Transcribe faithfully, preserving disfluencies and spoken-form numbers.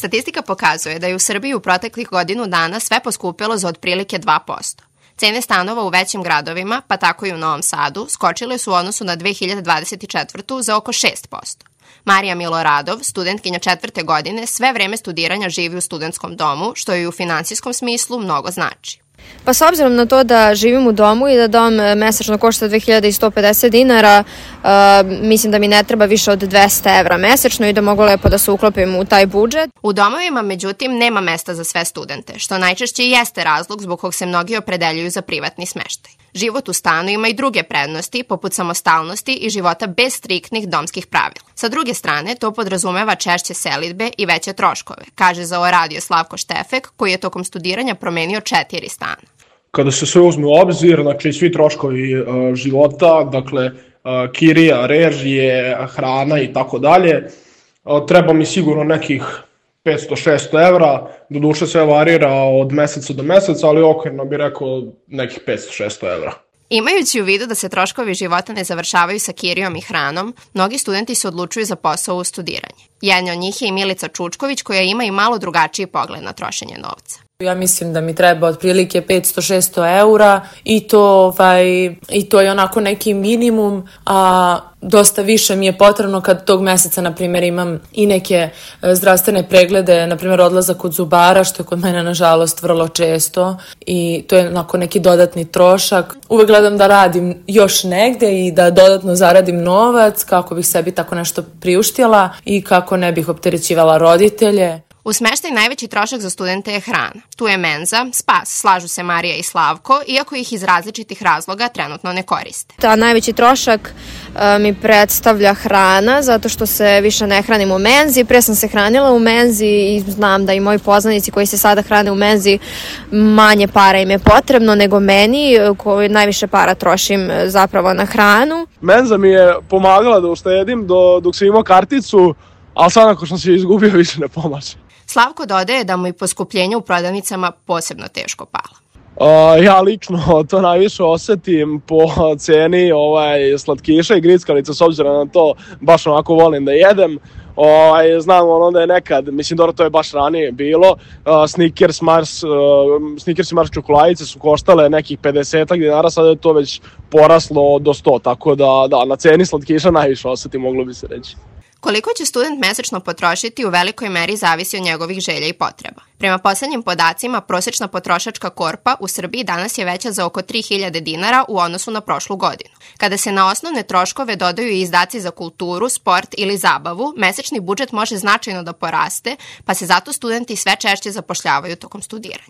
Statistika pokazuje da je u Srbiji u proteklih godinu dana sve poskupilo za otprilike dva posto. Cene stanova u većim gradovima, pa tako i u Novom Sadu, skočile su u odnosu na dve hiljade dvadeset četvrtu. za oko šest posto. Marija Miloradov, studentkinja četvrte godine, sve vreme studiranja živi u studentskom domu, što joj u finansijskom smislu mnogo znači. Pa s obzirom na to da živim u domu i da dom mesečno košta dve hiljade sto pedeset dinara, uh, mislim da mi ne treba više od dvesta evra mesečno i da mogu lepo da se uklopim u taj budžet. U domovima, međutim, nema mesta za sve studente, što najčešće i jeste razlog zbog kog se mnogi opredeljuju za privatni smeštaj. Život u stanu ima i druge prednosti, poput samostalnosti i života bez striktnih domskih pravila. Sa druge strane, to podrazumeva češće selidbe i veće troškove, kaže za ovo radio Slavko Štefek, koji je tokom studiranja promenio četiri stana. Kada se sve uzme u obzir, znači svi troškovi uh, života, dakle uh, kirija, režije, hrana i tako dalje, uh, treba mi sigurno nekih petsto do šesto evra, doduše sve varira od meseca do meseca, ali okvirno bih rekao nekih petsto do šesto evra. Imajući u vidu da se troškovi života ne završavaju sa kirijom i hranom, mnogi studenti se odlučuju za posao u studiranje. Jedna od njih je i Milica Čučković, koja ima i malo drugačiji pogled na trošenje novca. Ja mislim da mi treba otprilike petsto do šesto eura i to, ovaj, i to je onako neki minimum, a dosta više mi je potrebno kad tog meseca, na primjer, imam i neke zdravstvene preglede, na primjer odlazak kod zubara, što je kod mene nažalost vrlo često i to je onako neki dodatni trošak. Uvek gledam da radim još negde i da dodatno zaradim novac kako bih sebi tako nešto priuštila i kako ne bih opterećivala roditelje. U smeštaj najveći trošak za studente je hrana. Tu je menza, spas, slažu se Marija i Slavko, iako ih iz različitih razloga trenutno ne koriste. Ta najveći trošak a, mi predstavlja hrana, zato što se više ne hranim u menzi. Pre sam se hranila u menzi i znam da i moji poznanici koji se sada hrane u menzi, manje para im je potrebno nego meni, koji najviše para trošim zapravo na hranu. Menza mi je pomagala da uštedim do, dok sam imao karticu, ali sad ako sam se izgubio više ne pomaže. Slavko dodaje da mu i poskupljenje u prodavnicama posebno teško pala. Uh, ja lično to najviše osetim po ceni ovaj, slatkiša i grickalica, s obzirom na to baš onako volim da jedem. Ovaj, znam ono da je nekad, mislim dobro to je baš ranije bilo, uh, Snickers, Mars, uh, Snickers i Mars čokoladice su koštale nekih pedeset dinara, sada je to već poraslo do sto, tako da, da na ceni slatkiša najviše osetim, moglo bi se reći. Koliko će student mesečno potrošiti u velikoj meri zavisi od njegovih želja i potreba. Prema poslednjim podacima, prosečna potrošačka korpa u Srbiji danas je veća za oko tri hiljade dinara u odnosu na prošlu godinu. Kada se na osnovne troškove dodaju i izdaci za kulturu, sport ili zabavu, mesečni budžet može značajno da poraste, pa se zato studenti sve češće zapošljavaju tokom studiranja.